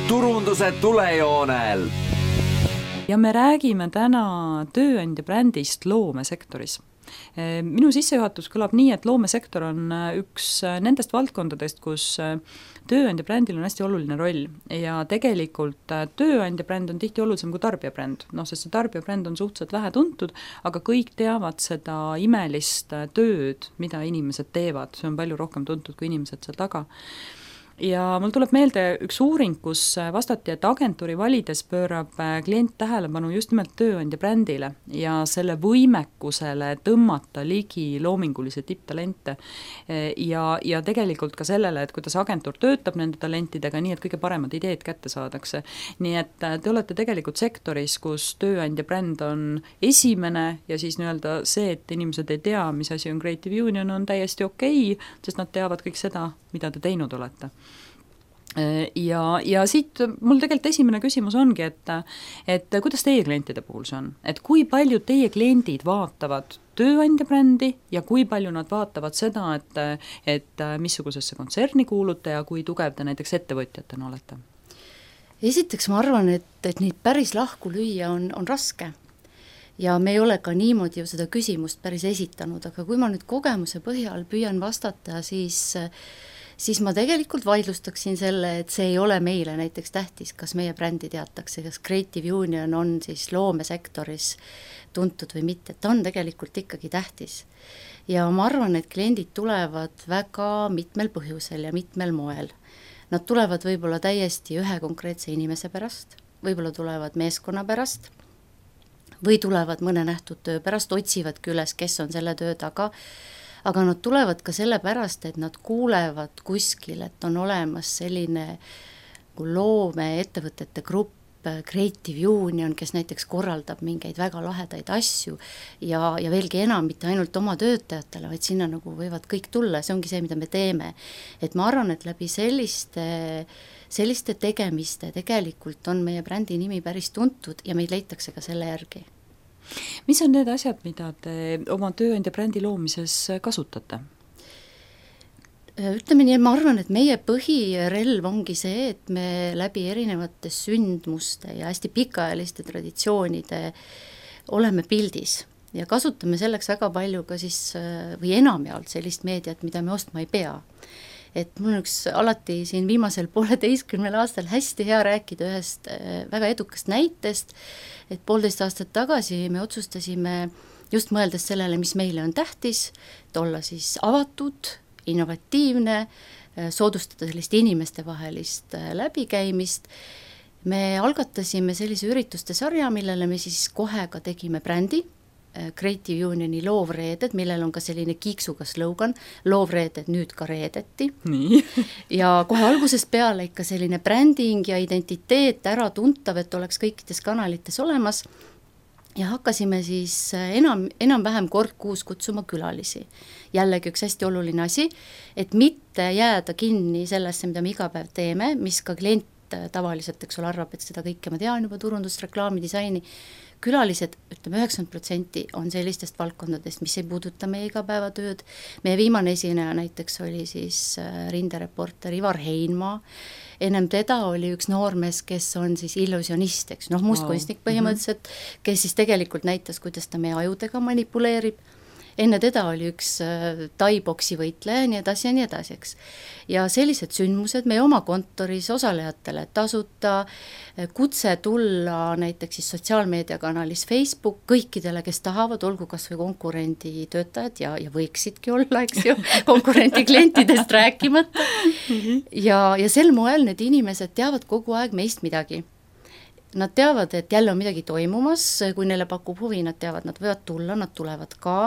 turunduse tulejoonel. Ja me räägime täna tööandja brändist loomesektoris. Minu sissejuhatus kõlab nii, et loomesektor on üks nendest valdkondadest, kus tööandja brändil on hästi oluline roll ja tegelikult tööandja bränd on tihti olulisem kui tarbija bränd, sest see tarbija bränd on suhteliselt vähe tuntud, aga kõik teavad seda imelist tööd, mida inimesed teevad, see on palju rohkem tuntud kui inimesed seal taga. Ja mul tuleb meelde üks uuring, kus vastati, et agentuuri valides pöörab klient tähelepanu just nimelt tööandja brändile ja selle võimekusele tõmmata ligi loomingulisi tipptalente ja tegelikult ka sellele, et kuidas agentuur töötab nende talentidega nii, et kõige paremad ideed kätte saadakse. Nii et te olete tegelikult sektoris, kus tööandja bränd on esimene ja siis nii-öelda see, et inimesed ei tea, mis asi on Creative Union, on täiesti okei, sest nad teavad kõik seda, mida te teinud olete. Ja siit mul tegelikult esimene küsimus ongi, et kuidas teie klientide puhul see on? Et kui palju teie kliendid vaatavad tööandja brändi ja kui palju nad vaatavad seda, et missugusesse kontserni kuulute ja kui tugev te näiteks ettevõtjatena olete? Esiteks ma arvan, et neid päris lahku lüüa on raske. Ja me ei ole ka niimoodi ju seda küsimust päris esitanud, aga kui ma nüüd kogemuse põhjal püüan vastata, siis ma tegelikult vaidlustaksin selle, et see ei ole meile näiteks tähtis, kas meie brändi teatakse, kas Creative Union on siis loomesektoris tuntud või mitte, ta on tegelikult ikkagi tähtis. Ja ma arvan, et kliendid tulevad väga mitmel põhjusel ja mitmel moel. Nad tulevad võib-olla täiesti ühe konkreetse inimese pärast, võib-olla tulevad meeskonna pärast, või tulevad mõne nähtud töö pärast, otsivadki üles, kes on selle töö taga, aga nad tulevad ka selle pärast, et nad kuulevad kuskil, et on olemas selline loome ettevõtete grupp, Creative Union, kes näiteks korraldab mingeid väga lahedaid asju ja veelgi enam, mitte ainult oma töötajatele, vaid sinna nagu võivad kõik tulla, see ongi see, mida me teeme. Et ma arvan, et läbi selliste tegemiste tegelikult on meie brändi nimi päris tuntud ja meid leitakse ka selle järgi. Mis on need asjad, mida te oma tööandja brändi loomises kasutate? Ütleme nii, et ma arvan, et meie põhirelv ongi see, et me läbi erinevate sündmuste ja hästi pikaajaliste traditsioonide oleme pildis ja kasutame selleks väga palju ka siis või enamjaolt sellist meediat, mida me ostma ei pea. Et mul on üks alati siin viimasel 1,5 aastal hästi hea rääkida ühest väga edukast näitest, et 1,5 aastat tagasi me otsustasime just mõeldes sellele, mis meile on tähtis, et olla siis avatud, innovatiivne, soodustada sellist inimeste vahelist läbikäimist. Me algatasime sellise ürituste sarja, millele me siis kohe ka tegime brändi, Creative Unioni loovreeded, millel on ka selline kiiksuga slogan, loovreeded nüüd ka reedeti. Nii. Ja kohe algusest peale ikka selline bränding ja identiteet ära tuntav, et oleks kõikides kanalites olemas. Ja hakkasime siis enam-vähem kord kuus kutsuma külalisi. Jällegi üks hästi oluline asi, et mitte jääda kinni sellesse, mida me iga päev teeme, mis ka klient tavaliselt, eks ole, arvab, et seda kõike ma tean juba turundust, reklaami, disaini. Külalised, ütleme 90% on sellistest valdkondadest, mis ei puuduta meie igapäevatööd. Meie viimane esineja näiteks oli siis rindereporter Ivar Heinmaa. Ennem teda oli üks noormees, kes on siis illusionist, eks, mustkunstnik põhimõtteliselt, kes siis tegelikult näitas, kuidas ta meie ajudega manipuleerib. Enne teda oli üks tai-boksi võitleja, nii edasi, eks. Ja sellised sündmused meie oma kontoris osalejatele tasuta, kutse tulla näiteks siis sotsiaalmeediakanalis Facebook kõikidele, kes tahavad, olgu kas või konkurendi töötajad ja võiksidki olla, eks ju, konkurendi klientidest rääkimata. Ja sel moel need inimesed teavad kogu aeg meist midagi. Nad teavad, et jälle on midagi toimumas, kui neile pakub huvi, nad teavad, nad võivad tulla, nad tulevad ka.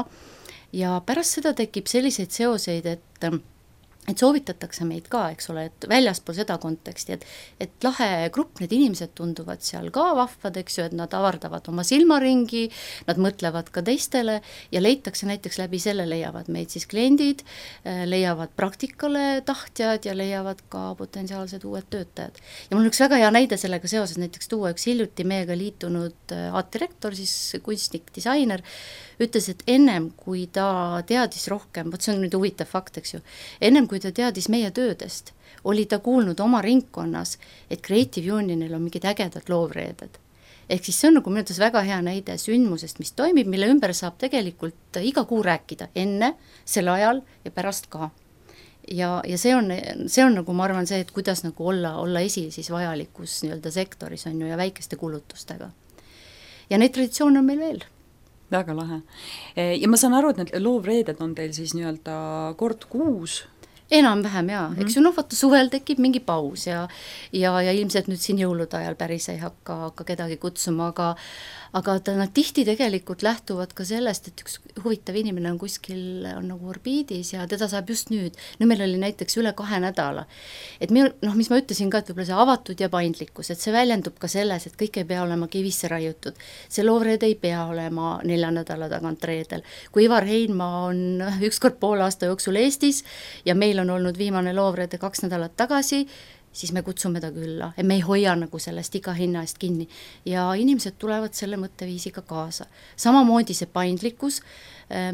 Ja pärast seda tekib selliseid seoseid, et soovitatakse meid ka, eks ole, et väljaspool seda konteksti, et lahe grupp, need inimesed tunduvad seal ka vahvad, eks ju, et nad avardavad oma silmaringi, nad mõtlevad ka teistele ja leitakse näiteks läbi selle, leiavad meid siis kliendid, leiavad praktikale tahtjad ja leiavad ka potentsiaalsed uued töötajad. Ja mul on üks väga hea näide sellega seoses näiteks tuua üks hiljuti meiega liitunud aatdirektor, siis kunstnik, disainer, ütles, et ennem kui ta teadis rohkem, see on nüüd huvitav fakt, eks ju, ennem kui kui ta teadis meie töödest, oli ta kuulnud oma ringkonnas, et Creative Unionil on mingid ägedad loovreeded. Ehk siis see on nagu minu arvates väga hea näide sündmusest, mis toimib, mille ümber saab tegelikult iga kuu rääkida, enne, sel ajal ja pärast ka. Ja see on nagu, ma arvan, see, et kuidas nagu olla esil siis vajalikus nii-öelda sektoris on ju ja väikeste kulutustega. Ja neid traditsioone on meil veel. Väga lahe. Ja ma saan aru, et need loovreeded on teil siis nii-öelda kord kuus? Enam-vähem jaa, eks ju, vaata suvel tekib mingi paus ja ilmselt nüüd siin jõulude ajal päris ei hakka kedagi kutsuma, aga nad tihti tegelikult lähtuvad ka sellest, et üks huvitav inimene on kuskil, on nagu orbiidis ja teda saab just nüüd meil oli näiteks üle 2 nädala. Et mis ma ütlesin ka, et võib-olla see avatud ja paindlikkus, et see väljendub ka selles, et kõik ei pea olema kivisse raiutud. See loovreede ei pea olema 4 nädala tagant reedel. Kui Ivar Heinma on ükskord poole aasta jooksul Eestis ja meil on olnud viimane loovreede 2 nädalat tagasi, siis me kutsume ta külla, et me ei hoia nagu sellest iga hinna eest kinni ja inimesed tulevad selle mõtteviisiga kaasa. Samamoodi see paindlikkus,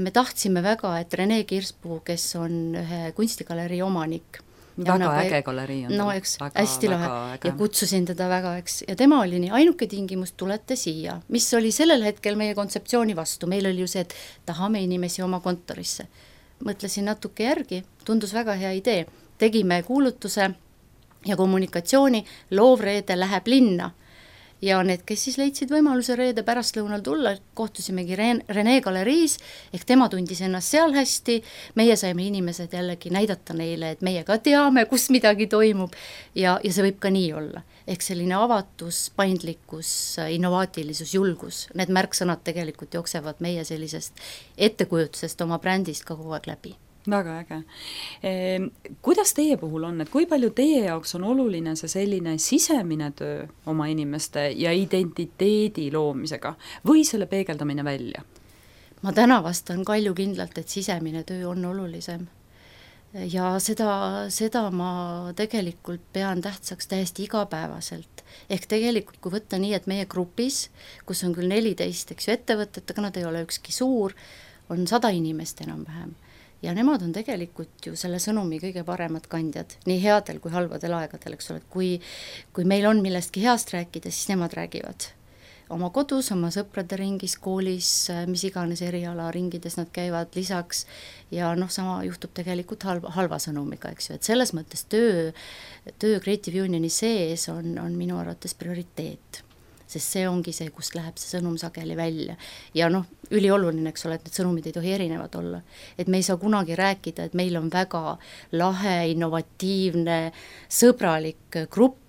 me tahtsime väga, et Rene Kirspuu, kes on ühe kunstigalerii omanik, väga äge galerii on no eks, hästi lahe ja kutsusin teda väga, eks, ja tema oli nii, ainuke tingimus, tulete siia, mis oli sellel hetkel meie kontseptsiooni vastu, meil oli ju see, et tahame inimesi oma kontorisse. Mõtlesin natuke järgi, tundus väga hea idee, tegime kuulutuse ja kommunikatsiooni, loovreede läheb linna ja need, kes siis leidsid võimaluse reede pärastlõunal tulla, kohtusimegi Rene galeriis, ehk tema tundis ennast seal hästi, meie saime inimesed jällegi näidata neile, et meie ka teame, kus midagi toimub ja see võib ka nii olla. Ehk selline avatus, paindlikkus, innovaatilisus, julgus, need märksõnad tegelikult jooksevad meie sellisest ettekujutusest oma brändist ka kogu aeg läbi. Väga äge. Kuidas teie puhul on, et kui palju teie jaoks on oluline see selline sisemine töö oma inimeste ja identiteedi loomisega või selle peegeldamine välja? Ma täna vastan kaljukindlalt, et sisemine töö on olulisem. Ja seda ma tegelikult pean tähtsaks täiesti igapäevaselt. Ehk tegelikult, kui võtta nii, et meie grupis, kus on küll 14 ettevõtet, aga nad ei ole ükski suur, on 100 inimest enam-vähem. Ja nemad on tegelikult ju selle sõnumi kõige paremad kandjad, nii headel kui halvadel aegadel, eks ole, et kui meil on millestki heast rääkida, siis nemad räägivad oma kodus, oma sõprade ringis, koolis, mis iganes eriala ringides nad käivad lisaks ja sama juhtub tegelikult halva sõnumiga, eks ju, et selles mõttes töö Creative Unioni sees on minu arvates prioriteet. Sest see ongi see, kust läheb see sõnum sageli välja. Ja ülioluline, eks ole, et need sõnumid ei tohi erinevad olla. Et me ei saa kunagi rääkida, et meil on väga lahe, innovatiivne, sõbralik grupp,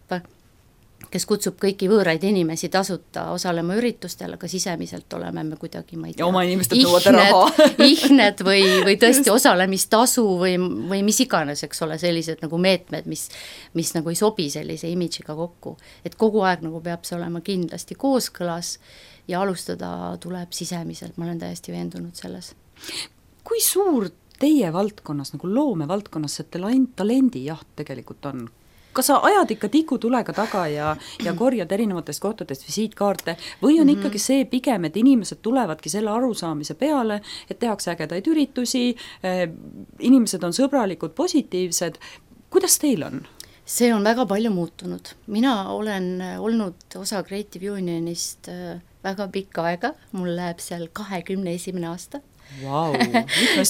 kes kutsub kõiki võõraid inimesi tasuta osalema üritustel, aga sisemiselt oleme me kuidagi, ma ei tea, ja oma inimesed nõuavad raha. Ihned või tõesti osalemistasu või mis iganes, eks ole, sellised nagu meetmed, mis nagu ei sobi sellise imidžiga kokku. Et kogu aeg nagu peab see olema kindlasti kooskõlas ja alustada tuleb sisemiselt, ma olen täiesti veendunud selles. Kui suur teie valdkonnas, nagu loomevaldkonnas see talendijaht tegelikult on? Kas sa ajad ikka tikutulega taga ja korjad erinevatest kohtadest visiitkaarte või on ikkagi see pigem, et inimesed tulevadki selle arusaamise peale, et tehakse ägedaid üritusi, inimesed on sõbralikud, positiivsed. Kuidas teil on? See on väga palju muutunud. Mina olen olnud osa Creative Unionist väga pikka aega, mul läheb seal 21. aasta. Wow.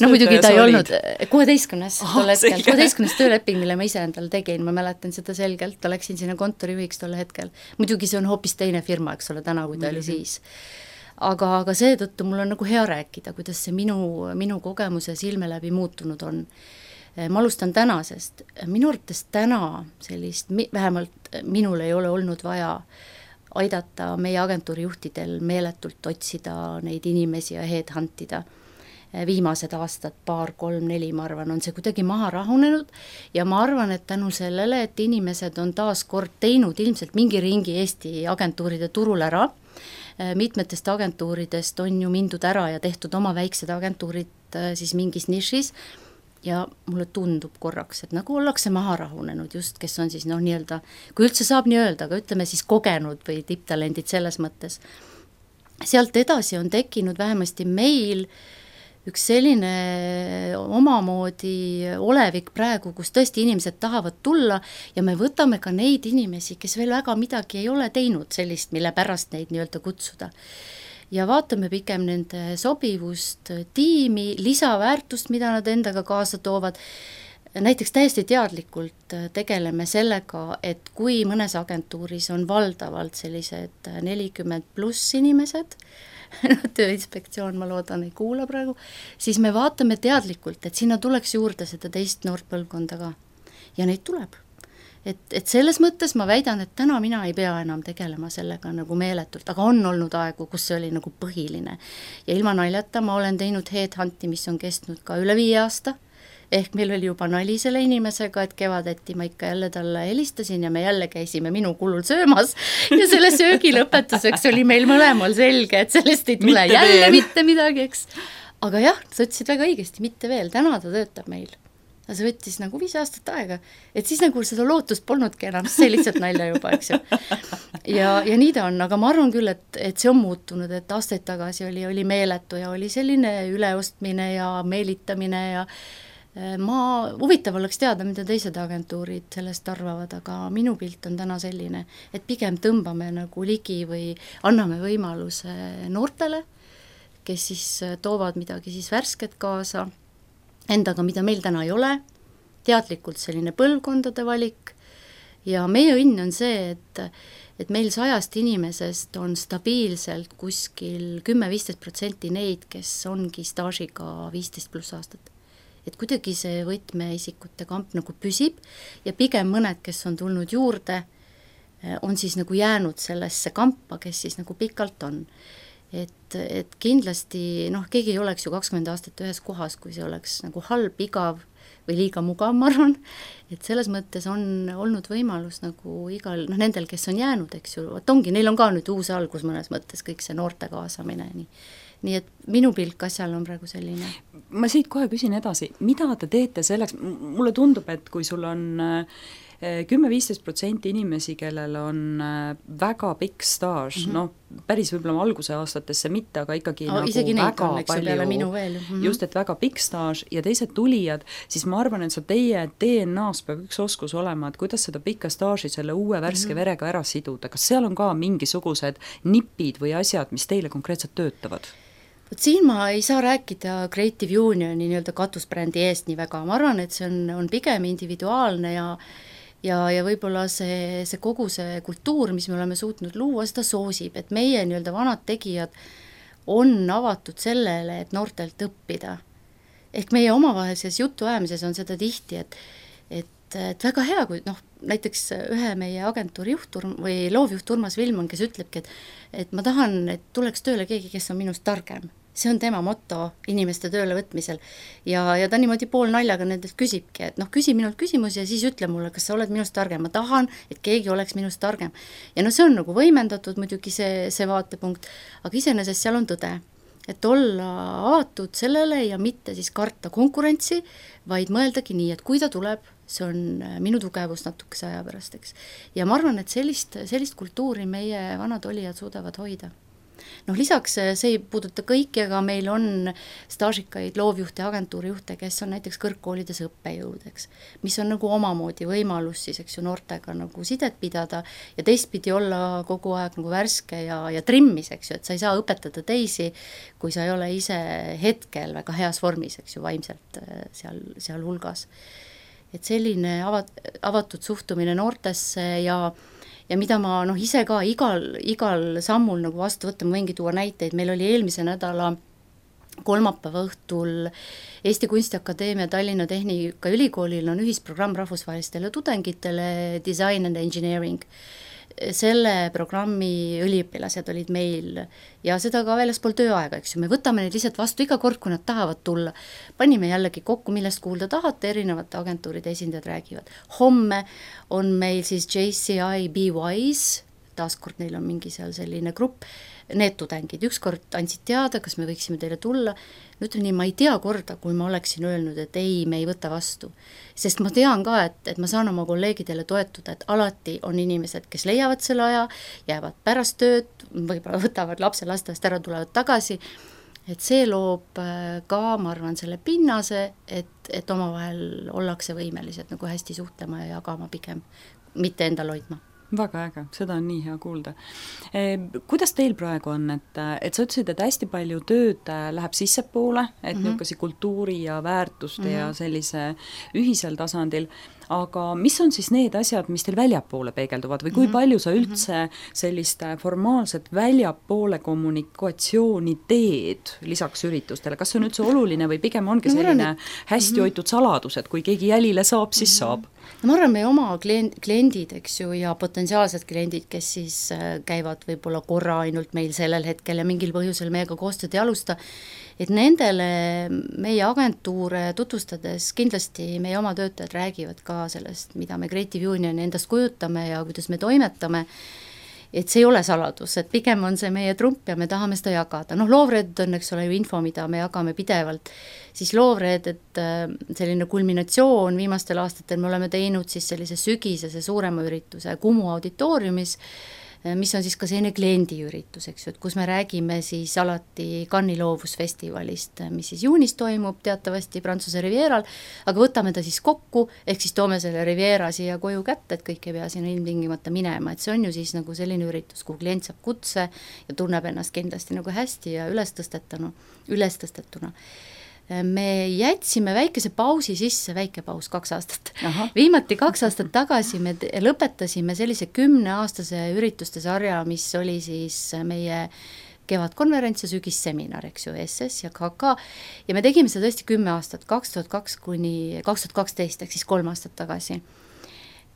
Muidugi ta ei olnud 16 tööleping, mille ma ise endale tegin, ma mäletan seda selgelt, läksin sinna kontorijuhiks tolle hetkel. Muidugi see on hoopis teine firma, eks ole, täna, kui ta oli siis. Aga seetõttu mul on nagu hea rääkida, kuidas see minu kogemuse silme läbi muutunud on. Ma alustan tänasest. Minu arvates täna sellist, vähemalt minul ei ole olnud vaja aidata meie agentuurijuhtidel meeletult otsida neid inimesi ja headhuntida. Viimased aastad, 2, 3, 4, ma arvan, on see kuidagi maha rahunenud ja ma arvan, et tänu sellele, et inimesed on taas kord teinud ilmselt mingi ringi Eesti agentuuride turul ära, mitmetest agentuuridest on ju mindud ära ja tehtud oma väiksed agentuurid siis mingis nišis ja mulle tundub korraks, et nagu ollakse maha rahunenud just, kes on siis nii-öelda, kui üldse saab nii öelda, aga ütleme siis kogenud või tipptalendid selles mõttes. Sealt edasi on tekkinud vähemasti meil üks selline omamoodi olevik praegu, kus tõesti inimesed tahavad tulla ja me võtame ka neid inimesi, kes veel väga midagi ei ole teinud sellist, mille pärast neid nii-öelda kutsuda. Ja vaatame pigem nende sobivust, tiimi, lisaväärtust, mida nad endaga kaasa toovad. Näiteks täiesti teadlikult tegeleme sellega, et kui mõnes agentuuris on valdavalt sellised 40+ inimesed, Tööinspektsioon, ma loodan, ei kuula praegu, siis me vaatame teadlikult, et sinna tuleks juurde seda teist noort põlvkonda ka. Ja neid tuleb. Et selles mõttes ma väidan, et täna mina ei pea enam tegelema sellega nagu meeletult, aga on olnud aegu, kus see oli nagu põhiline. Ja ilma naljata ma olen teinud headhunti, mis on kestnud ka üle 5 aasta, ehk meil oli juba nali selle inimesega, et kevadeti ma ikka jälle talle helistasin ja me jälle käisime minu kulul söömas ja selle söögi lõpetuseks oli meil mõlemal selge, et sellest ei tule mitte midagi, eks. Aga jah, sa ütlesid väga õigesti, mitte veel, täna ta töötab meil. See võttis nagu 5 aastat aega, et siis nagu seda lootust polnudki enam, see lihtsalt nalja juba, eks ju. Ja nii ta on, aga ma arvan küll, et see on muutunud, et aastaid tagasi oli meeletu ja oli selline üleostmine ja meelitamine ja huvitav oleks teada, mida teised agentuurid sellest arvavad, aga minu pilt on täna selline, et pigem tõmbame nagu ligi või anname võimaluse noortele, kes siis toovad midagi siis värsket kaasa endaga, mida meil täna ei ole, teadlikult selline põlvkondade valik ja meie õnn on see, et meil 100 inimesest on stabiilselt kuskil 10-15% neid, kes ongi staažiga 15+ aastat. Et kuidagi see võtmeisikute kamp nagu püsib ja pigem mõned, kes on tulnud juurde, on siis nagu jäänud sellesse kampa, kes siis nagu pikalt on. Et kindlasti, keegi ei oleks ju 20 aastat ühes kohas, kui see oleks nagu halb, igav või liiga mugav, ma arvan, et selles mõttes on olnud võimalus nagu igal, nendel, kes on jäänud, eks ju, ongi, neil on ka nüüd uus algus mõnes mõttes, kõik see noorte kaasamine, nii et minu pilk asjal on praegu selline. Ma siit kohe küsin edasi, mida te teete selleks, mulle tundub, et kui sul on 10-15% inimesi, kellel on väga pikk staaž, päris võib-olla alguse aastatesse mitte, aga ikkagi isegi nagu väga palju, minu veel. Just, et väga pikk staaž ja teised tulijad, siis ma arvan, et teie DNA-s peab üks oskus olema, et kuidas seda pikka staaži selle uue värske verega ära siduda, kas seal on ka mingisugused nipid või asjad, mis teile konkreetselt töötavad? Siin ma ei saa rääkida Creative Unioni nii-öelda katusbrändi eest nii väga, ma arvan, et see on pigem individuaalne ja võib-olla see kogu see kultuur, mis me oleme suutnud luua, seda soosib, et meie nii-öelda vanad tegijad on avatud sellele, et noortelt õppida. Ehk meie omavahelises jutuajamises on seda tihti, et väga hea, kui näiteks ühe meie agentuuri juhturm või loovjuht Urmas Vilman, kes ütlebki, et ma tahan, et tuleks tööle keegi, kes on minust targem. See on tema motto inimeste tööle võtmisel ja ta niimoodi pool naljaga nendelt küsibki, et küsi minult küsimusi ja siis ütle mulle, kas sa oled minust targem, ma tahan, et keegi oleks minust targem. Ja see on nagu võimendatud muidugi see vaatepunkt, aga iseenesest seal on tõde, et olla avatud sellele ja mitte siis karta konkurentsi, vaid mõeldagi nii, et kui ta tuleb, see on minu tugevus natukese aja pärast, eks. Ja ma arvan, et sellist kultuuri meie vanad olijad suudavad hoida. Lisaks see ei puuduta kõiki, aga meil on staažikaid loovjuhte ja agentuurijuhte, kes on näiteks kõrgkoolides õppejõud, eks, mis on nagu omamoodi võimalus siis, eks ju, noortega nagu sidet pidada ja teistpidi olla kogu aeg nagu värske ja trimmis, eks ju, et sa ei saa õpetada teisi, kui sa ei ole ise hetkel väga heas vormis, eks ju, vaimselt seal hulgas. Et selline avatud suhtumine noortesse ja mida ma ise ka igal sammul nagu vastu võtta, ma võingi tuua näiteid, meil oli eelmise nädala kolmapäeva õhtul Eesti Kunstiakadeemia Tallinna Tehnikaülikoolil on ühisprogramm rahvusvahelistele tudengitele Design and Engineering. Selle programmi üliõpilased olid meil ja seda ka väljaspool tööaega, eks ju, me võtame neid lihtsalt vastu iga kord, kui nad tahavad tulla. Panime jällegi kokku, millest kuulda tahate, erinevate agentuuride esindajad räägivad. Homme on meil siis JCI Be Wise, taaskord neil on mingi seal selline grupp, need tudengid ükskord andsid teada, kas me võiksime teile tulla, ütlen nii, ma ei tea korda, kui ma oleksin öelnud, et ei, me ei võta vastu. Sest ma tean ka, et ma saan oma kolleegidele toetuda, et alati on inimesed, kes leiavad selle aja, jäävad pärast tööd, võib-olla võtavad lapse lasteaiast ära, tulevad tagasi, et see loob ka, ma arvan, selle pinnase, et omavahel ollakse võimelised nagu hästi suhtlema ja jagama pigem, mitte endal hoidma. Väga äge, seda on nii hea kuulda. Kuidas teil praegu on, et sa ütlesid, et hästi palju tööd läheb sissepoole, et niisuguse kultuuri ja väärtuste ja sellise ühisel tasandil, aga mis on siis need asjad, mis teil väljapoole peegelduvad või kui palju sa üldse sellist formaalset väljapoole kommunikatsiooni teed lisaks üritustele, kas see on üldse oluline või pigem ongi selline hästi hoitud saladus, et kui keegi jälile saab, siis saab? No ma arvan, meie oma kliendid, eks ju, ja potentsiaalsed kliendid, kes siis käivad võib-olla korra ainult meil sellel hetkel ja mingil põhjusel meiega koostööd ei alusta, et nendele meie agentuure tutvustades kindlasti meie oma töötajad räägivad ka sellest, mida me Creative Unioni endast kujutame ja kuidas me toimetame, et see ei ole saladus, et pigem on see meie trump ja me tahame seda jagada. Noh, Loovred on, eks ole, ju info, mida me jagame pidevalt, siis Loovred, et selline kulminatsioon viimastel aastatel me oleme teinud siis sellise sügisese suurema ürituse Kumu auditooriumis, mis on siis ka selline kliendiüritus, eks ju, et kus me räägime siis alati Cannes'i loovusfestivalist, mis siis juunis toimub teatavasti Prantsuse Rivieral, aga võtame ta siis kokku, ehk siis toome selle Riviera siia koju kätte, et kõik ei pea sinna ilmtingimata minema, et see on ju siis nagu selline üritus, kuhu klient saab kutse ja tunneb ennast kindlasti nagu hästi ja ülestõstetuna. Me jätsime väikese pausi sisse, väike paus 2 aastat. Viimati 2 aastat tagasi me lõpetasime sellise 10-aastase ürituste sarja, mis oli siis meie kevadkonverents ja sügisseminar, eks ju, SS ja KK, ja me tegime seda tõesti 10 aastat, 2002 kuni 2012, ehk siis 3 aastat tagasi.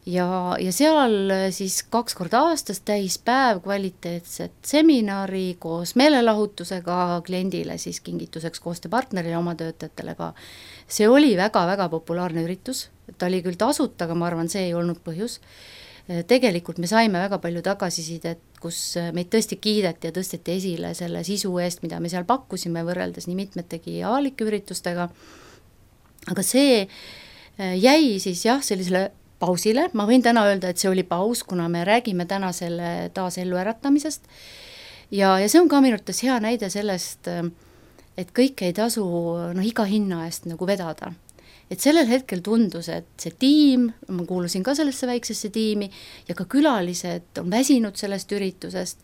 Ja seal siis 2 korda aastas täispäev kvaliteetset seminari koos meelelahutusega kliendile siis kingituseks koostööpartnerile, oma töötajatele ka. See oli väga-väga populaarne üritus, ta oli küll tasuta, aga ma arvan, see ei olnud põhjus. Tegelikult me saime väga palju tagasisidet, kus meid tõesti kiideti ja tõsteti esile selle sisu eest, mida me seal pakkusime võrreldes nii mitmetegi avalike üritustega, aga see jäi siis jah, sellisele pausile, ma võin täna öelda, et see oli paus, kuna me räägime täna selle taas ellu äratamisest ja see on ka minu arvates hea näide sellest, et kõik ei tasu iga hinna eest nagu vedada. Et sellel hetkel tundus, et see tiim, ma kuulusin ka sellesse väiksesse tiimi ja ka külalised on väsinud sellest üritusest,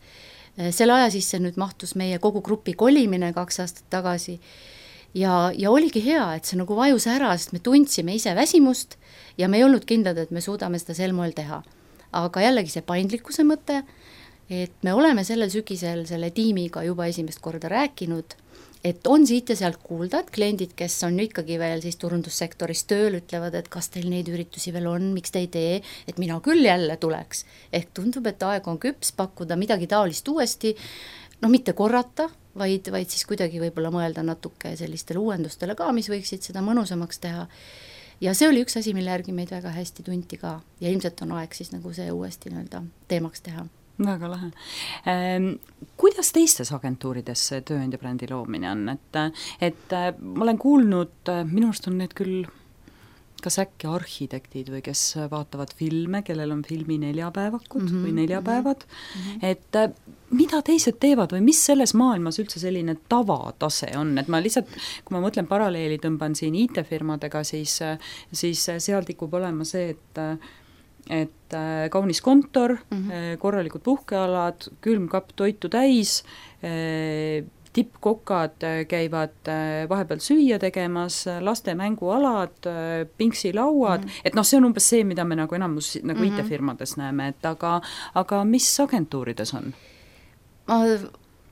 selle aja sisse nüüd mahtus meie kogu grupi kolimine 2 aastat tagasi ja oligi hea, et see nagu vajus ära, sest me tundsime ise väsimust ja me ei olnud kindlad, et me suudame seda sel moel teha. Aga jällegi see paindlikkuse mõte, et me oleme sellel sügisel selle tiimiga juba esimest korda rääkinud, et on siit ja sealt kuulda, et kliendid, kes on ikkagi veel siis turundussektoris tööl, ütlevad, et kas teil neid üritusi veel on, miks te ei tee, et mina küll jälle tuleks. Ehk tundub, et aeg on küps pakkuda midagi taolist uuesti, mitte korrata, vaid siis kuidagi võib-olla mõelda natuke sellistele uuendustele ka, mis võiksid seda mõnusamaks teha. Ja see oli üks asi, mille järgi meid väga hästi tunti ka ja ilmselt on aeg siis nagu see uuesti teemaks teha. Väga lahe. Kuidas teistes agentuurides see tööandja brändi loomine on? Et ma olen kuulnud, minu arust on need küll kas äkki arhitektid või kes vaatavad filme, kellel on filmi 4-päevakud või 4-päevad, et mida teised teevad või mis selles maailmas üldse selline tavatase on, et ma lihtsalt, kui ma mõtlen paralleeli tõmban siin IT-firmadega, siis seal tikub olema see, et kaunis kontor, korralikud puhkealad, külmkapp toitu täis, tippkokad käivad vahepeal süüa tegemas, laste mängualad, pingsilauad, et see on umbes see, mida me nagu enamus nagu IT-firmades näeme, et aga mis agentuurides on? Ma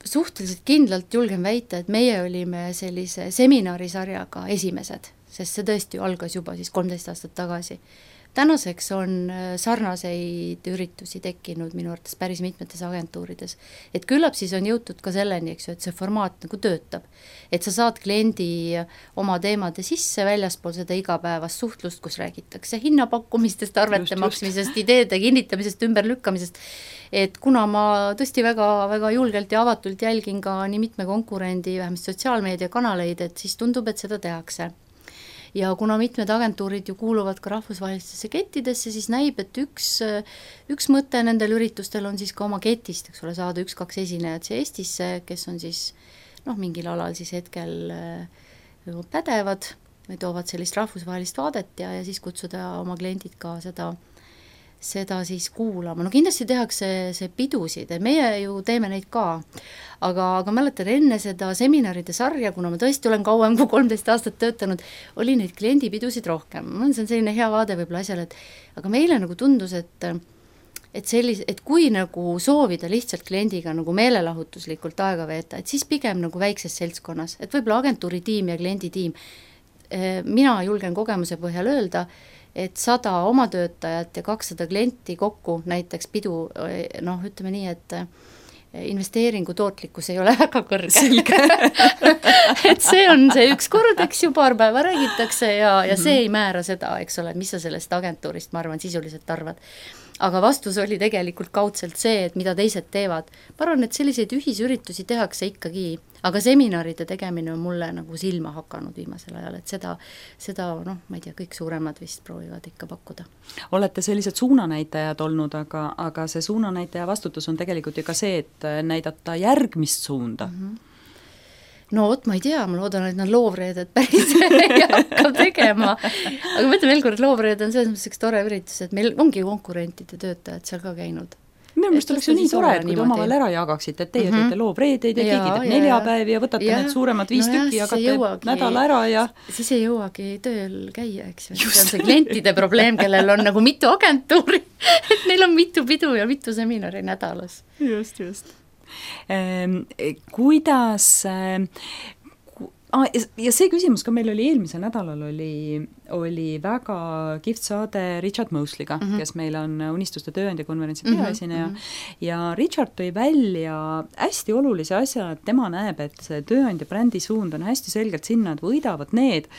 suhteliselt kindlalt julgen väita, et meie olime sellise seminarisarjaga esimesed, sest see tõesti algas juba siis 13 aastat tagasi. Tänaseks on sarnaseid üritusi tekkinud minu arvates päris mitmetes agentuurides. Et küllap siis on jõutud ka selleni, eks ju, et see formaat nagu töötab. Et sa saad kliendi oma teemade sisse väljaspool seda igapäevast suhtlust, kus räägitakse hinnapakkumistest, arvete maksmisest, ideede kinnitamisest, ümberlükkamisest. Et kuna ma tõesti väga, väga julgelt ja avatult jälgin ka nii mitme konkurendi, vähemalt sotsiaalmeediakanaleid, et siis tundub, et seda tehakse. Ja kuna mitmed agentuurid ju kuuluvad ka rahvusvahelistesse kettidesse, siis näib, et üks mõte nendel üritustel on siis ka oma ketist, eks ole, saada 1-2 esinejat siia Eestisse, kes on siis mingil alal siis hetkel pädevad või toovad sellist rahvusvahelist vaadet ja siis kutsuda oma kliendid ka seda siis kuulama. No kindlasti tehakse see pidusid, et meie ju teeme neid ka, aga mäletan enne seda seminaride sarja, kuna ma tõesti olen kauem kui 13 aastat töötanud, oli neid kliendipidusid rohkem. See on selline hea vaade võib-olla asjale, aga meile nagu tundus, et kui nagu soovida lihtsalt kliendiga nagu meelelahutuslikult aega veeta, et siis pigem nagu väikses seltskonnas, et võib-olla agentuuri tiim ja kliendi tiim. Mina julgen kogemuse põhjal öelda, et 100 oma töötajat ja 200 klienti kokku näiteks pidu, ütleme nii, et investeeringu tootlikkus ei ole väga kõrge. Et see on see üks kord, eks ju, paar päeva räägitakse ja see ei määra seda, eks ole, mis sa sellest agentuurist, ma arvan, sisuliselt arvad. Aga vastus oli tegelikult kaudselt see, et mida teised teevad. Ma arvan, et selliseid ühisüritusi tehakse ikkagi, aga seminaride tegemine on mulle nagu silma hakanud viimasel ajal, et seda ma ei tea, kõik suuremad vist proovivad ikka pakkuda. Olete sellised suunanäitajad olnud, aga see suunanäitaja vastutus on tegelikult ju ka see, et näidata järgmist suunda. No vot, ma ei tea, ma loodan, et nad loovreedet päris ei hakka tegema. Aga ma ütlen veel kord, loovreed on selles mõttes üks tore üritus, et meil ongi konkurentide töötajad seal ka käinud. Minu meelest oleks ju nii tore, et kui te omavahel ära jagaksite, et teie teete loovreedeid ja keegi teeb 4 päevi ja võtate need suuremad 5 tükki ja jagate nädal ära ja siis ei jõuagi tööl käia, eks ju. See on see klientide probleem, kellel on nagu mitu agentuuri, et neil on mitu pidu ja mitu seminari nädalas. Just. Kuidas ja see küsimus ka meil oli eelmisel nädalal oli väga kihvt saade Richard Mosley'ga, kes meil on Unistuste tööandja konverentsi peaesineja ja Richard tõi välja hästi olulise asja, et tema näeb, et see tööandja brändi suund on hästi selgelt sinna, et võidavad need,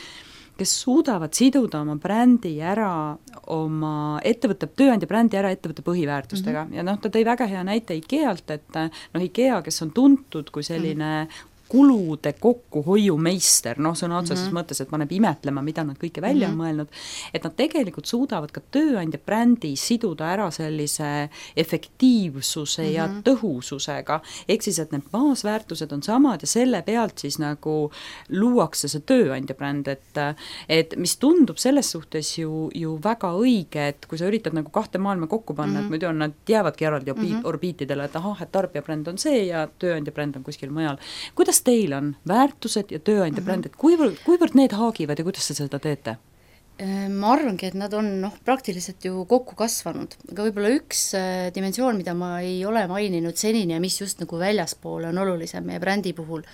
kes suudavad siduda oma brändi ära, oma ettevõtte, tööandja brändi ära ettevõtte põhiväärtustega. Ja ta tõi väga hea näite IKEA-lt, et IKEA, kes on tuntud kui selline kulude kokkuhoiumeister, sõna otseses mõttes, et paneb imetlema, mida nad kõike välja on mõelnud, et nad tegelikult suudavad ka tööandja brändi siduda ära sellise efektiivsuse ja tõhususega, ehk siis, et need baasväärtused on samad ja selle pealt siis nagu luuakse see tööandja bränd, et mis tundub selles suhtes ju väga õige, et kui sa üritad nagu 2 maailma kokku panna, et muidu nad jäävadki eraldi orbiitidele, et et tarbija bränd on see ja tööandja bränd on kuskil mujal. Kuidas teil on väärtused ja tööandja bränd, et kuivõrd need haagivad ja kuidas te seda teete? Ma arvangi, et nad on praktiliselt ju kokku kasvanud, aga võib-olla üks dimensioon, mida ma ei ole maininud senini ja mis just nagu väljaspool on olulisem meie brändi puhul,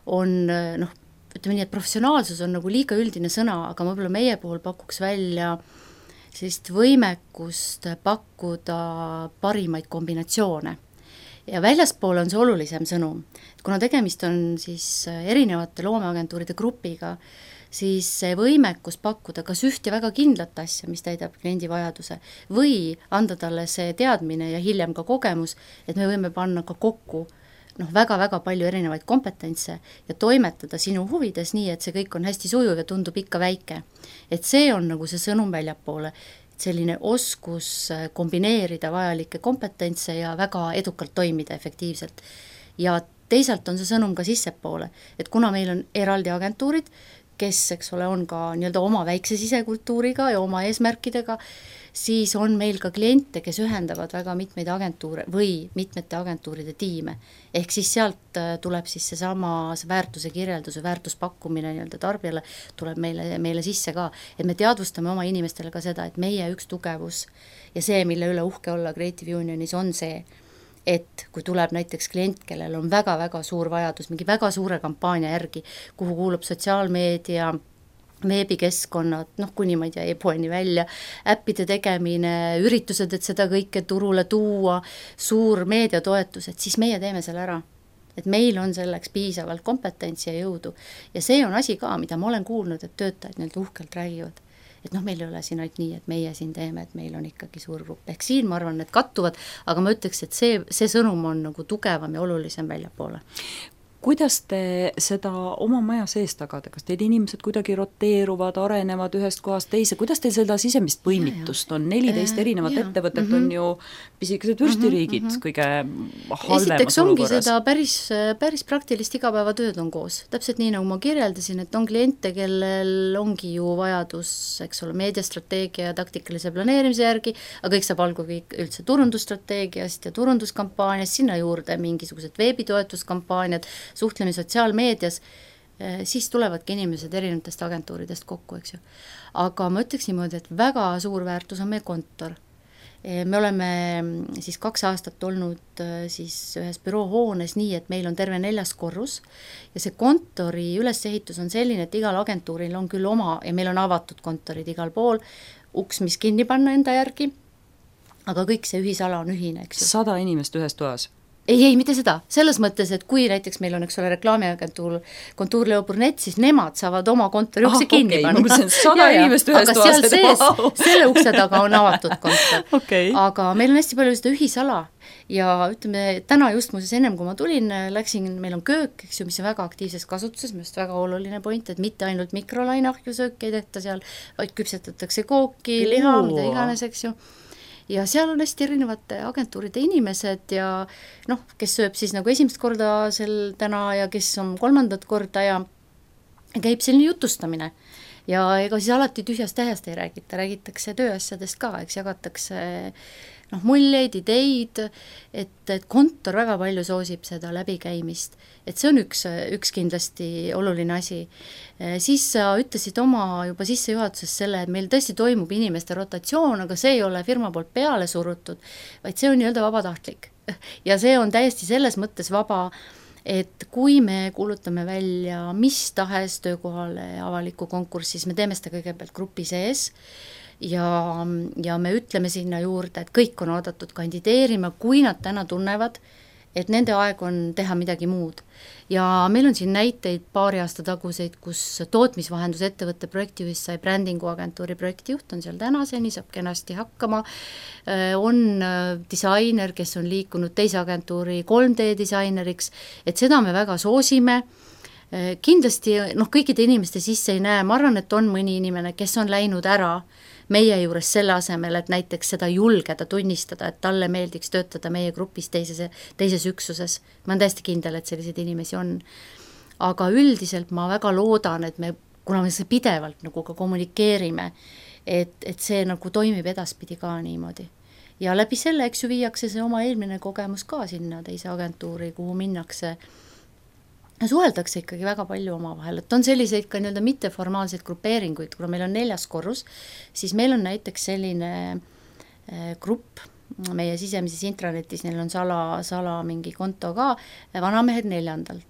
on ütleme nii, et professionaalsus on nagu liiga üldine sõna, aga võib-olla meie puhul pakuks välja sellist võimekust pakkuda parimaid kombinatsioone. Ja väljaspool on see olulisem sõnum. Kuna tegemist on siis erinevate loomeagentuuride grupiga, siis see võimekus pakkuda kas üht ja väga kindlat asja, mis täidab kliendi vajaduse, või anda talle see teadmine ja hiljem ka kogemus, et me võime panna ka kokku väga-väga palju erinevaid kompetentse ja toimetada sinu huvides nii, et see kõik on hästi sujuv ja tundub ikka väike. Et see on nagu see sõnum väljapoole, selline oskus kombineerida vajalikke kompetentse ja väga edukalt toimida efektiivselt. Ja teisalt on see sõnum ka sissepoole, et kuna meil on eraldi agentuurid, kes, eks ole, on ka nii-öelda oma väikse sisekultuuriga ja oma eesmärkidega, siis on meil ka kliente, kes ühendavad väga mitmeid agentuure või mitmete agentuuride tiime. Ehk siis sealt tuleb siis seesama väärtuse kirjeldus ja väärtuspakkumine nii-öelda tarbijale tuleb meile sisse ka, et me teadvustame oma inimestele ka seda, et meie üks tugevus ja see, mille üle uhke olla Creative Unionis on see, et kui tuleb näiteks klient, kellel on väga-väga suur vajadus mingi väga suure kampaania järgi, kuhu kuulub sotsiaalmeedia, veebikeskkonnad, kuni ma ei tea, e-poeni välja, äppide tegemine, üritused, et seda kõike turule tuua, suur meediatoetus, et siis meie teeme selle ära. Et meil on selleks piisavalt kompetentsi ja jõudu. Ja see on asi ka, mida ma olen kuulnud, et töötajad nii-öelda uhkelt räägivad. Et meil ei ole siin ainult nii, et meie siin teeme, et meil on ikkagi suur grupp. Ehk siin ma arvan, et kattuvad, aga ma ütleks, et see sõnum on nagu tugevam ja olulisem väljapoole. kuidas te seda oma maja sees tagate, kas teid inimesed kuidagi roteeruvad, arenevad ühest kohast teise, kuidas teil seda sisemist põimitust on, 14 erinevat ettevõtet on ju pisikesed vürstiriigid kõige halvemas esiteks ongi olukorras. seda päris praktilist igapäevatööd on koos, täpselt nii nagu ma kirjeldasin, et on kliente, kellel ongi ju vajadus, eks ole, meediastrateegia ja taktikalise planeerimise järgi, aga kõik saab algul kõik üldse turundusstrateegiast ja turunduskampaaniast, sinna juurde mingisugused veebitoetuskampaaniad, suhtleme sotsiaalmeedias, siis tulevadki inimesed erinevatest agentuuridest kokku, eks ju. Aga ma ütleks niimoodi, et väga suur väärtus on meie kontor. Me oleme siis 2 aastat olnud siis ühes büroohoones nii, et meil on terve 4. korrus ja see kontori ülesehitus on selline, et igal agentuuril on küll oma ja meil on avatud kontorid igal pool, uks, mis kinni panna enda järgi, aga kõik see ühisala on ühine, eks ju. 100 inimest ühes toas? Ei, mitte seda, selles mõttes, et kui näiteks meil on, eks ole, reklaamiagentuur Kontuur Leo Burnett, siis nemad saavad oma kontori ukse kinni panna. Ma mõtlesin, 100 inimest ühes toas. Aga seal sees, selle ukse taga on avatud kontor. Aga meil on hästi palju seda ühisala ja ütleme, täna just muuseas ennem, kui ma tulin, meil on köök, eks ju, mis on väga aktiivses kasutuses, minu arust väga oluline point, et mitte ainult mikrolainahju sööki ei tehta seal, vaid küpsetatakse kooki, liha, mida iganes, eks ju. Ja seal on hästi erinevate agentuuride inimesed ja noh, kes sööb siis nagu esimest korda täna ja kes on 3. korda ja käib selline jutustamine. Ja ega siis alati tühjast tähest ei räägita, räägitakse tööasjadest ka, eks jagatakse muljeid, ideid, et kontor väga palju soosib seda läbikäimist, et see on üks kindlasti oluline asi. Siis sa ütlesid oma juba sissejuhatuses selle, et meil tõesti toimub inimeste rotatsioon, aga see ei ole firma poolt peale surutud, vaid see on nii-öelda vabatahtlik. Ja see on täiesti selles mõttes vaba, et kui me kuulutame välja mis tahes töökohale avaliku konkurssi, siis me teeme seda kõigepealt grupi sees, ja me ütleme sinna juurde, et kõik on oodatud kandideerima, kui nad täna tunnevad, et nende aeg on teha midagi muud. Ja meil on siin näiteid 2 aasta taguseid, kus tootmisvahendusettevõtte projektijuht sai brändinguagentuuri projektijuht, on seal tänaseni, saab kenasti hakkama, on disainer, kes on liikunud teise agentuuri 3D disaineriks, et seda me väga soosime. Kindlasti kõikide inimeste sisse ei näe, ma arvan, et on mõni inimene, kes on läinud ära meie juures selle asemel, et näiteks seda julgeda tunnistada, et talle meeldiks töötada meie grupis teises üksuses. Ma olen täiesti kindel, et selliseid inimesi on. Aga üldiselt ma väga loodan, et kuna me see pidevalt nagu ka kommunikeerime, et see nagu toimib edaspidi ka niimoodi. Ja läbi selle, eks ju, viiakse see oma eelmine kogemus ka sinna teise agentuuri, kuhu minnakse. Suheldakse ikkagi väga palju oma vahel, et on selliseid ka nii-öelda mitteformaalseid grupeeringuid, kuna meil on 4. korrus, siis meil on näiteks selline grupp meie sisemises intranetis, neil on sala mingi konto ka, vanamehed 4.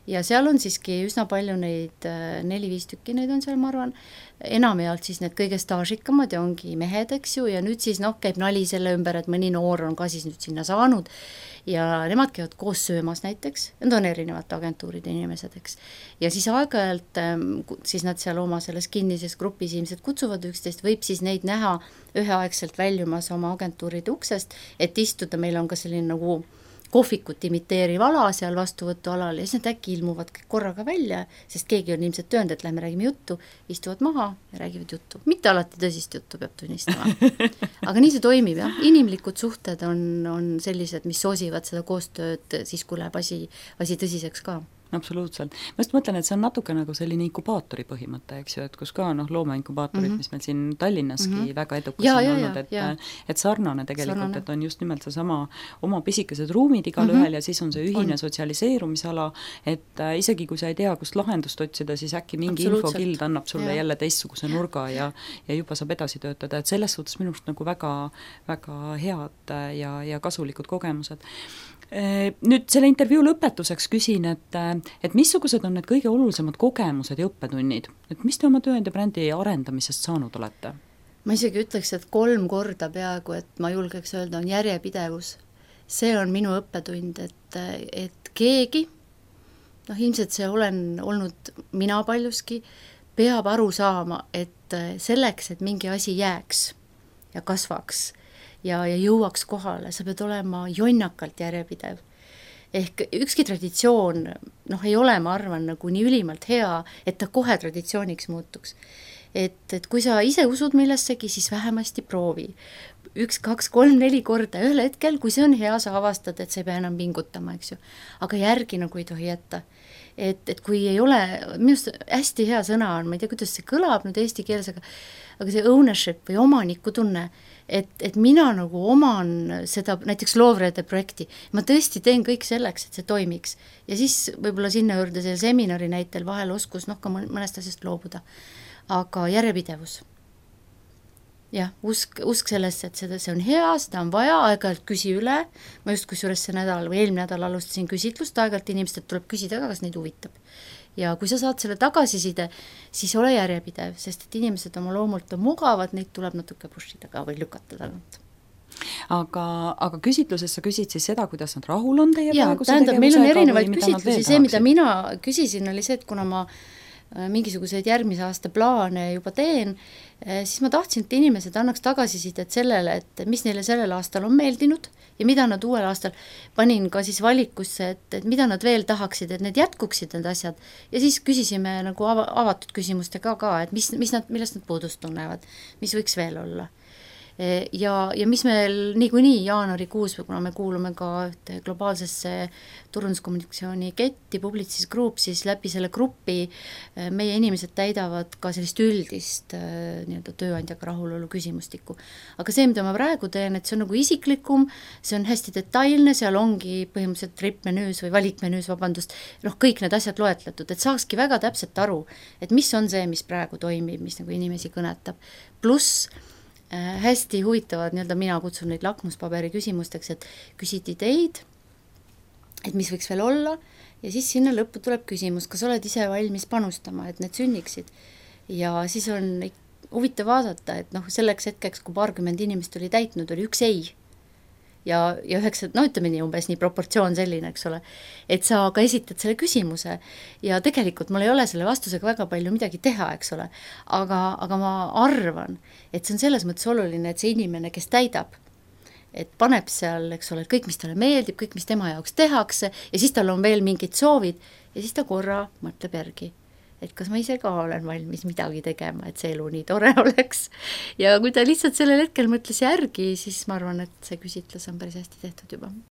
Ja seal on siiski üsna palju neid, 4-5 tükki neid on seal, ma arvan, enamjaolt siis need kõige staažikamad ja ongi mehed, eks ju, ja nüüd siis käib nali selle ümber, et mõni noor on ka siis nüüd sinna saanud ja nemad käivad koos söömas näiteks, need on erinevate agentuuride inimesed, eks. Ja siis aeg-ajalt, siis nad seal oma selles kinnises grupis inimesed kutsuvad üksteist, võib siis neid näha üheaegselt väljumas oma agentuuride uksest, et istuda, meil on ka selline nagu kohvikut imiteeriv ala seal vastuvõtualal ja siis nad äkki ilmuvad korraga välja, sest keegi on ilmselt töönud, et lähme räägime juttu, istuvad maha ja räägivad juttu. Mitte alati tõsist juttu peab tunnistama. Aga nii see toimib, jah. Inimlikud suhted on sellised, mis soosivad seda koostööd siis, kui läheb asi tõsiseks ka. Absoluutselt. Ma just mõtlen, et see on natuke nagu selline inkubaatori põhimõte, eks ju, et kus ka loomeinkubaatorid, mis meil siin Tallinnaski väga edukas on olnud, et sarnane tegelikult, et on just nimelt see sama oma pisikesed ruumid igal ühel ja siis on see ühine sotsialiseerumisala, et isegi kui sa ei tea, kust lahendust otsida, siis äkki mingi infokild annab sulle jälle teistsuguse nurga ja juba saab edasi töötada, et selles suhtes minu arust nagu väga, väga head ja kasulikud kogemused. Nüüd selle intervjuu lõpetuseks küsin, et missugused on need kõige olulisemad kogemused ja õppetunnid, et mis te oma tööandja brändi arendamisest saanud olete? Ma isegi ütleks, et 3 korda peaaegu, et ma julgeks öelda, on järjepidevus. See on minu õppetund, et keegi, ilmselt see olen olnud mina paljuski, peab aru saama, et selleks, et mingi asi jääks ja kasvaks ja jõuaks kohale, sa pead olema jonnakalt järjepidev. ehk ükski traditsioon ei ole, ma arvan, nagu nii ülimalt hea, et ta kohe traditsiooniks muutuks. Et kui sa ise usud millessegi, siis vähemasti proovi. 1, 2, 3, 4 korda ühel hetkel, kui see on hea, sa avastad, et sa ei pea enam pingutama, eks ju. Aga järgi nagu ei tohi jätta. Et kui ei ole, minust hästi hea sõna on, ma ei tea, kuidas see kõlab nüüd eesti keeles, aga see ownership või omanikutunne, et mina nagu oman seda näiteks Loovreede projekti, ma tõesti teen kõik selleks, et see toimiks. Ja siis võib-olla sinna juurde selle seminari näitel vahel oskus ka mõnest asjast loobuda. Aga järjepidevus. Jah, usk sellesse, et see on hea, seda on vaja, aeg-ajalt küsi üle, ma just kusjuures see nädal või eelmine nädal alustasin küsitlust, aeg-ajalt inimestelt tuleb küsida ka, kas neid huvitab. Ja kui sa saad selle tagasiside, siis ole järjepidev, sest et inimesed oma loomult on mugavad, neid tuleb natuke pushida ka või lükata tagant. Aga küsitluses sa küsid siis seda, kuidas nad rahul on teie praeguse tegevusega? Meil on erinevaid küsitlusi, see, mida mina küsisin, oli see, et kuna ma mingisuguseid järgmise aasta plaane juba teen, siis ma tahtsin, et inimesed annaks tagasisidet sellele, et mis neile sellel aastal on meeldinud ja mida nad uuel aastal panin ka siis valikusse, et mida nad veel tahaksid, et need jätkuksid need asjad. Ja siis küsisime nagu avatud küsimustega ka, et millest nad puudust tunnevad, mis võiks veel olla. Ja mis meil niikuinii jaanuarikuus, kuna me kuulume ka globaalsesse turunduskommunikatsiooni ketti, Publicis Group, siis läbi selle grupi meie inimesed täidavad ka sellist üldist tööandjaga rahulolu küsimustikku. Aga see, mida ma praegu teen, et see on nagu isiklikum, see on hästi detailne, seal ongi põhimõtteliselt trip-menüüs või valikmenüüs, kõik need asjad loetletud, et saakski väga täpselt aru, et mis on see, mis praegu toimib, mis nagu inimesi kõnetab. Pluss hästi huvitavad, mina kutsun neid lakmuspaberi küsimusteks, et küsid ideid, et mis võiks veel olla, ja siis sinna lõppu tuleb küsimus, kas oled ise valmis panustama, et need sünniksid. Ja siis on huvitav vaadata, et selleks hetkeks, kui 20 inimest oli täitnud, oli üks ei. Ja 9, ütleme nii, umbes nii proportsioon selline, eks ole, et sa ka esitad selle küsimuse ja tegelikult mul ei ole selle vastusega väga palju midagi teha, eks ole, aga ma arvan, et see on selles mõttes oluline, et see inimene, kes täidab, et paneb seal, eks ole, kõik, mis talle meeldib, kõik, mis tema jaoks tehakse ja siis tal on veel mingid soovid ja siis ta korra mõtleb järgi, et kas ma ise ka olen valmis midagi tegema, et see elu nii tore oleks. Ja kui ta lihtsalt sellel hetkel mõtles järgi, siis ma arvan, et see küsitlus on päris hästi tehtud juba.